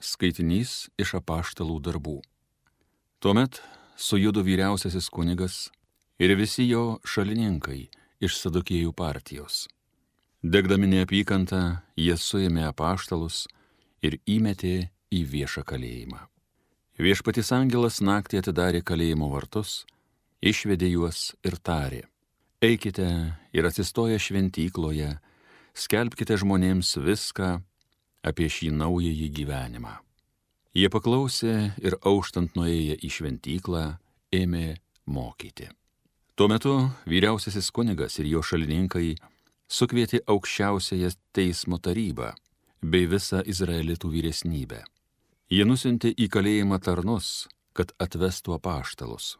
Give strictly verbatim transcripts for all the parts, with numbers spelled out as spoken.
Skaitinys iš apaštalų darbų. Tuomet sujudo vyriausiasis kunigas ir visi jo šalininkai iš Sadukėjų partijos. Degdami neapykantą, jie suėmė apaštalus ir įmetė į viešą kalėjimą. Viešpaties angelas naktį atidarė kalėjimo vartus, išvedė juos ir tarė: eikite ir atsistoję šventykloje, skelbkite žmonėms viską apie šį naująjį gyvenimą. Jie paklausė ir auštant nuėję į šventyklą ėmė mokyti. Tuo metu vyriausiasis kunigas ir jo šalininkai sukvietė aukščiausiąją teismo tarybą bei visą izraelitų vyresnybę. Jie nusiuntė į kalėjimą tarnus, kad atvestų apaštalus.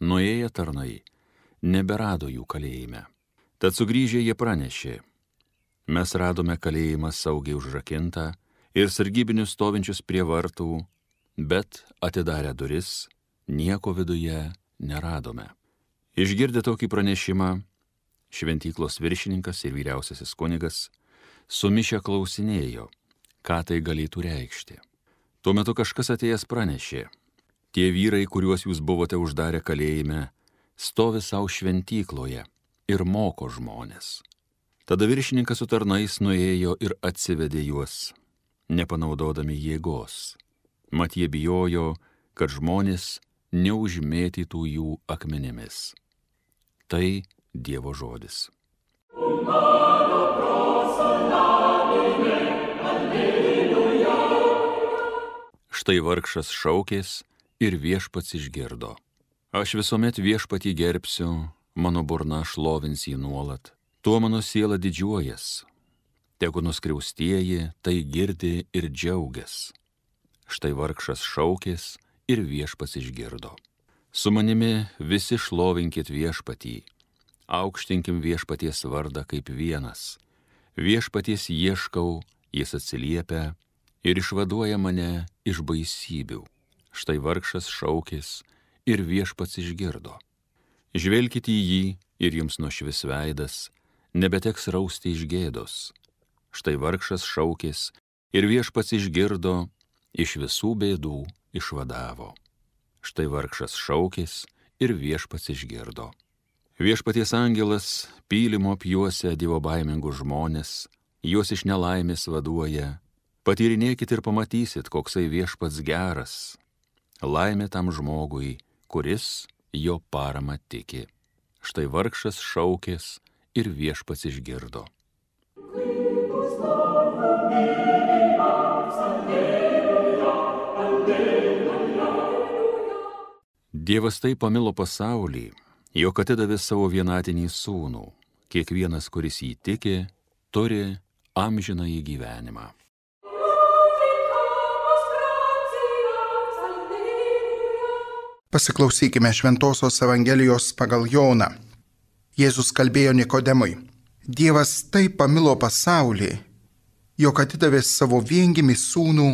Nuėję tarnai neberado jų kalėjime. Tad sugrįžę jie pranešė: mes radome kalėjimą saugiai užrakintą ir sargybinius stovinčius prie vartų, bet atidarę duris, nieko viduje neradome. Išgirdę tokį pranešimą, šventyklos viršininkas ir vyriausiasis kunigas sumišę klausinėjo, ką tai galėtų reikšti. Tuo metu kažkas atėjęs pranešė: tie vyrai, kuriuos jūs buvote uždarę kalėjime, stovi savo šventykloje ir moko žmonės. Tada viršininkas su tarnais nuėjo ir atsivedė juos, nepanaudodami jėgos. Mat jie bijojo, kad žmonės neužmėtytų jų akmenimis. Tai Dievo žodis. Štai vargšas šaukės ir viešpats išgirdo. Aš visuomet viešpatį gerbsiu, mano burna šlovins jį nuolat. Tuo mano siela didžiuojas, tegu nuskriaustieji tai girdi ir džiaugias. Štai vargšas šaukės ir viešpats išgirdo. Su manimi visi šlovinkit viešpatį, aukštinkim viešpaties vardą kaip vienas. Viešpaties ieškau, jis atsiliepia ir išvaduoja mane iš baisybių. Štai vargšas šaukės ir viešpats išgirdo. Žvelkite į jį ir jums nušvis veidas, nebeteks rausti iš gėdos. Štai vargšas šaukės ir viešpats išgirdo, iš visų bėdų išvadavo. Štai vargšas šaukės ir viešpats išgirdo. Viešpaties angelas pylimo apjuosia dievobaimingus žmonės, juos iš nelaimės vaduoja. Patyrinėkit ir pamatysit, koksai viešpats geras. Laimė tam žmogui, kuris jo parama tiki. Štai vargšas šaukės ir viešpats išgirdo. Dievas taip pamilo pasaulį, jog atidavė savo vienatinį sūnų. Kiekvienas, kuris jį tiki, turi amžinąjį gyvenimą. Pasiklausykime Šventosios Evangelijos pagal Joną. Jėzus kalbėjo Nikodemui: Dievas taip pamilo pasaulį, jog atidavė savo viengimį sūnų,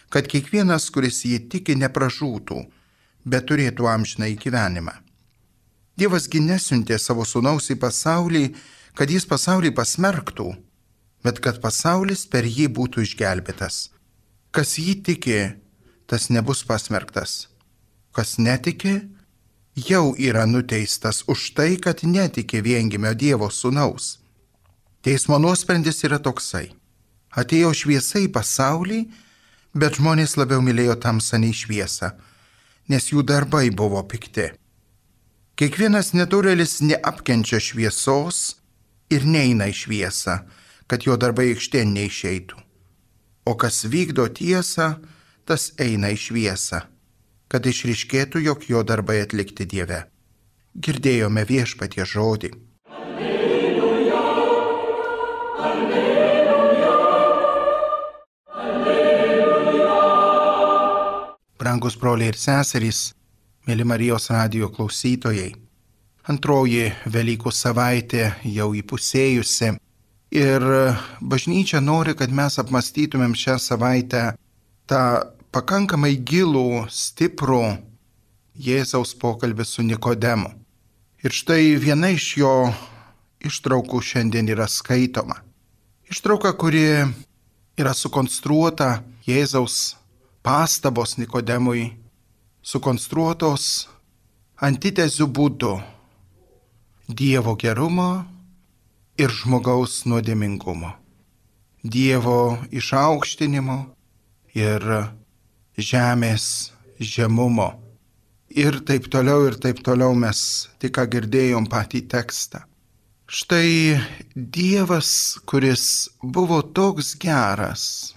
kad kiekvienas, kuris jį tiki, nepražūtų, bet turėtų amžinąjį gyvenimą. Dievas gi nesiuntė savo sūnaus į pasaulį, kad jis pasaulį pasmerktų, bet kad pasaulis per jį būtų išgelbėtas. Kas jį tiki, tas nebus pasmerktas. Kas netiki, jau yra nuteistas už tai, kad netiki viengimio Dievo sūnaus. Teismo nuosprendis yra toksai: atėjo šviesa į pasaulį, bet žmonės labiau mylėjo tamsą nei šviesą, nes jų darbai buvo pikti. Kiekvienas nedorėlis neapkenčia šviesos ir neina į šviesą, kad jo darbai aikštėn neišeitų. O kas vykdo tiesą, tas eina į šviesą, kad išryškėtų, jog jo darbai atlikti Dieve. Girdėjome Viešpaties žodį. Alleluja, alleluja, alleluja. Brangus broliai ir seserys, mėly Marijos radijo klausytojai, antroji Velykų savaitė jau įpusėjusi ir bažnyčia nori, kad mes apmąstytumėm šią savaitę tą pakankamai gilų, stiprų Jėzaus pokalbį su Nikodemu. Ir štai viena iš jo ištraukų šiandien yra skaitoma. Ištrauka, kuri yra sukonstruota Jėzaus pastabos Nikodemui sukonstruotos antitezių būdu Dievo gerumo ir žmogaus nuodėmingumo, Dievo išaukštinimo ir žemės žemumo. Ir taip toliau, ir taip toliau mes tik ką girdėjom patį tekstą. Štai Dievas, kuris buvo toks geras,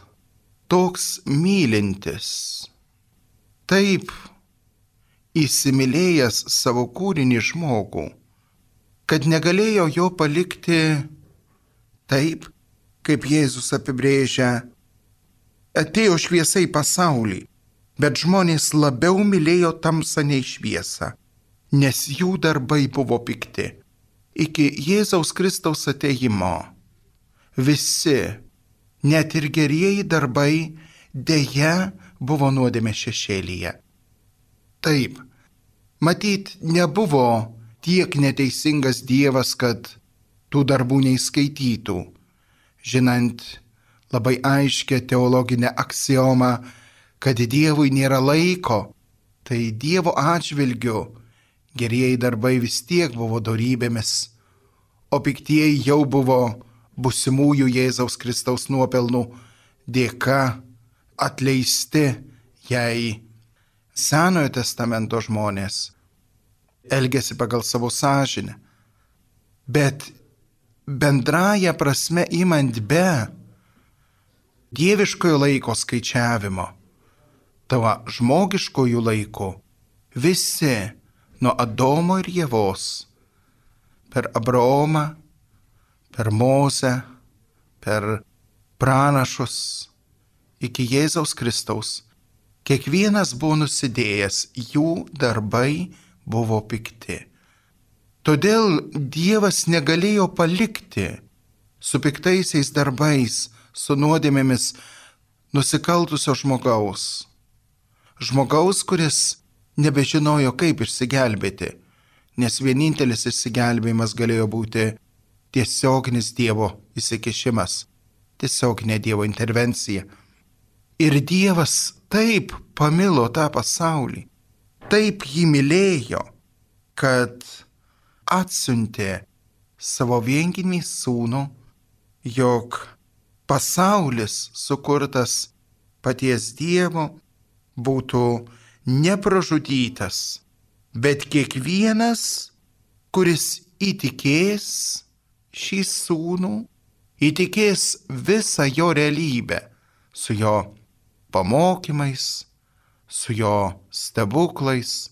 toks mylintis, taip įsimylėjęs savo kūrinį žmogų, kad negalėjo jo palikti taip, kaip Jėzus apibrėžia, atėjo šviesa į pasaulį, bet žmonės labiau mylėjo tamsą nei šviesą, nes jų darbai buvo pikti. Iki Jėzaus Kristaus atėjimo visi, net ir gerieji darbai, deja buvo nuodėmės šešėlyje. Taip, matyt, nebuvo tiek neteisingas Dievas, kad tų darbų neįskaitytų, žinant labai aiškę teologinę aksiomą, kad Dievui nėra laiko, tai Dievo atžvilgiu gerieji darbai vis tiek buvo dorybėmis, o piktieji jau buvo būsimųjų Jėzaus Kristaus nuopelnų dėka atleisti, jei Senojo testamento žmonės elgėsi pagal savo sąžinę. Bet bendraja prasme imant be dieviškojo laiko skaičiavimo, tavo žmogiškojų laikų, visi nuo Adomo ir Ievos, per Abraomą, per Mozę, per pranašus, iki Jėzaus Kristaus, kiekvienas buvo nusidėjęs, jų darbai buvo pikti. Todėl Dievas negalėjo palikti su piktaisiais darbais, su nuodėmėmis nusikaltusio žmogaus. Žmogaus, kuris nebežinojo, kaip išsigelbėti, nes vienintelis išsigelbėjimas galėjo būti tiesioginis Dievo įsikišimas, tiesioginė Dievo intervencija. Ir Dievas taip pamilo tą pasaulį, taip jį mylėjo, kad atsiuntė savo viengimį sūnų, jog pasaulis sukurtas paties Dievo būtų nepražudytas, bet kiekvienas, kuris įtikės šį sūnų, įtikės visą jo realybę su jo pamokymais, su jo stebuklais,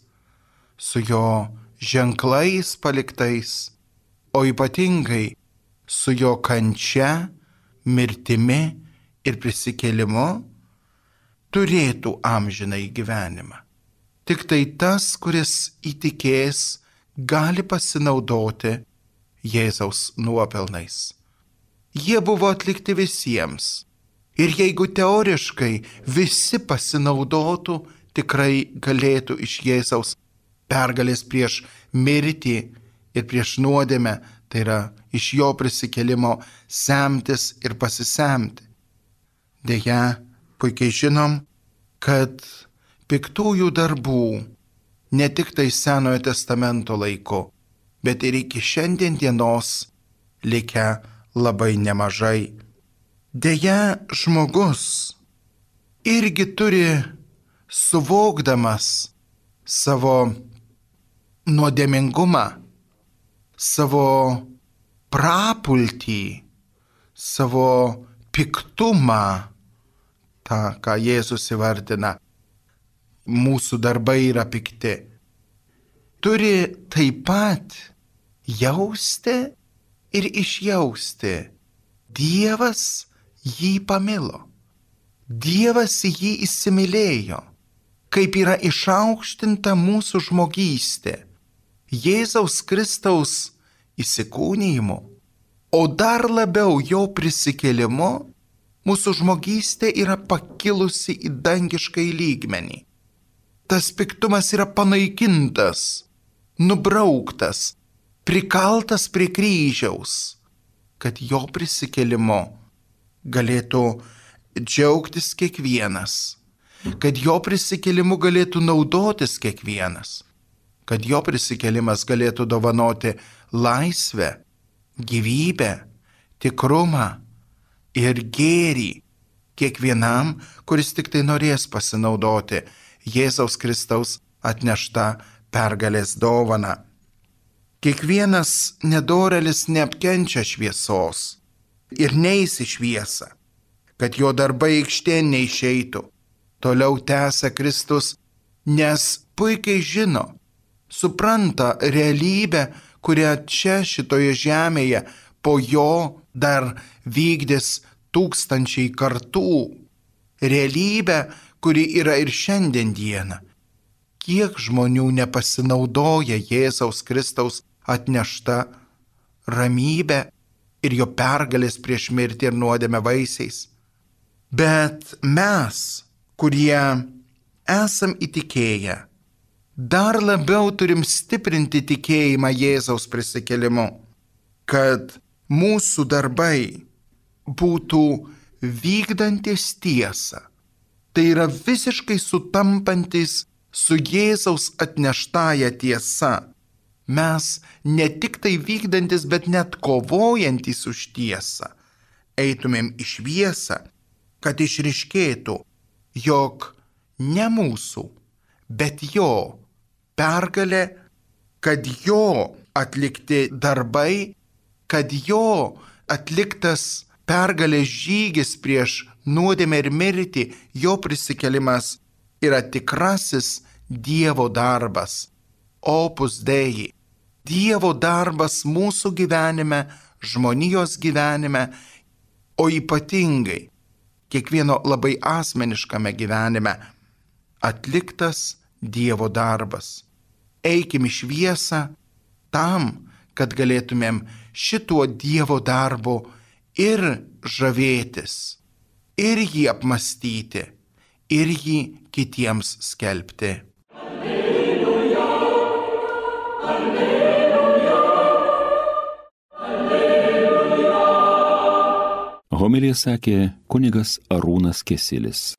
su jo ženklais paliktais, o ypatingai su jo kančia, mirtimi ir prisikėlimu, turėtų amžinai gyvenimą. Tik tai tas, kuris įtikės, gali pasinaudoti Jėzaus nuopelnais. Jie buvo atlikti visiems. Ir jeigu teoriškai visi pasinaudotų, tikrai galėtų iš Jėzaus pergalės prieš mirtį ir prieš nuodėmę, tai yra iš jo prisikėlimo semtis ir pasisemti. Deja, puikiai žinom, kad piktųjų darbų ne tik tai Senojo testamento laiku, bet ir iki šiandien dienos likę labai nemažai. Deja, žmogus irgi turi, suvokdamas savo nuodėmingumą, savo prapultį, savo piktumą, tą, ką Jėzus įvardina, mūsų darbai yra pikti, turi taip pat jausti ir išjausti. Dievas jį pamilo. Dievas jį įsimylėjo, kaip yra išaukštinta mūsų žmogystė Jėzaus Kristaus įsikūnijimu, o dar labiau jo prisikėlimu, mūsų žmogystė yra pakilusi į dangišką lygmenį. Tas piktumas yra panaikintas, nubrauktas, prikaltas prie kryžiaus, kad jo prisikėlimu galėtų džiaugtis kiekvienas. kad jo prisikėlimu galėtų naudotis kiekvienas, kad jo prisikėlimas galėtų dovanoti laisvę, gyvybę, tikrumą ir gėrį kiekvienam, kuris tik tai norės pasinaudoti Jėzaus Kristaus atnešta pergalės dovana. Kiekvienas nedorelis neapkenčia šviesos ir neis į šviesą, kad jo darbai aikštėn neišeitų. Toliau tęsia Kristus, nes puikiai žino, supranta realybę, kurią čia šitoje žemėje po jo dar vykdys tūkstančiai kartų. Realybę, kuri yra ir šiandien dieną. Kiek žmonių nepasinaudoja Jėzaus Kristaus atnešta ramybė ir jo pergalės prieš mirtį ir nuodėmę vaisiais. Bet mes, kurie esam įtikėję, dar labiau turim stiprinti tikėjimą Jėzaus prisikėlimu, kad mūsų darbai būtų vykdantis tiesą. Tai yra visiškai sutampantis su Jėzaus atneštąja tiesa. Mes ne tik tai vykdantis, bet net kovojantis už tiesą. Eitumėm į šviesą, kad išryškėtų, jog ne mūsų, bet jo pergalė, kad jo atlikti darbai, kad jo atliktas pergalės žygis prieš nuodėmę ir mirtį, jo prisikėlimas yra tikrasis Dievo darbas, opus Dei. Dievo darbas mūsų gyvenime, žmonijos gyvenime, o ypatingai kiekvieno labai asmeniškame gyvenime atliktas Dievo darbas. Eikim į šviesą tam, kad galėtumėm šituo Dievo darbu ir žavėtis, ir jį apmastyti, ir jį kitiems skelbti. Alleluja, alleluja, alleluja. Homiliją sakė kunigas Arūnas Kesilis.